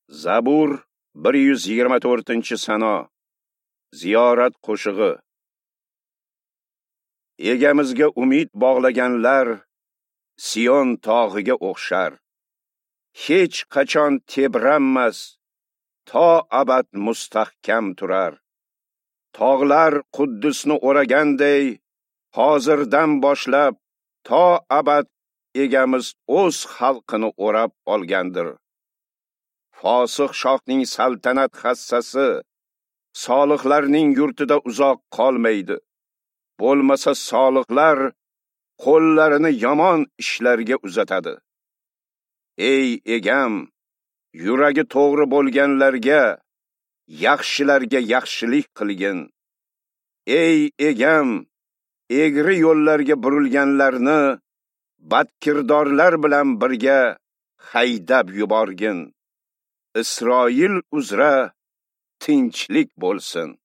Zabur 124-sano. Ziyorat qo'shig'i. Egamizga umid bog'laganlar Sion tog'iga o'xshar. Hech qachon tebranmas, to abad mustahkam turar. Tog'lar Quddusni o'raganday, hozirdan boshlab to abad Egamiz o'z xalqini o'rab olgandir. Fosiq shohning saltanat hassasi solihlarning yurtida uzoq qolmaydi. Bo'lmasa solihlar qo'llarini yomon ishlarga uzatadi. Ey Egam, yuragi to'g'ri bo'lganlarga, yaxshilarga yaxshilik qilgin. Ey Egam, egri yo'llarga burilganlarni badkirdorlar bilan birga haydab yuborgin. Isroil uzra tinchlik bo'lsin.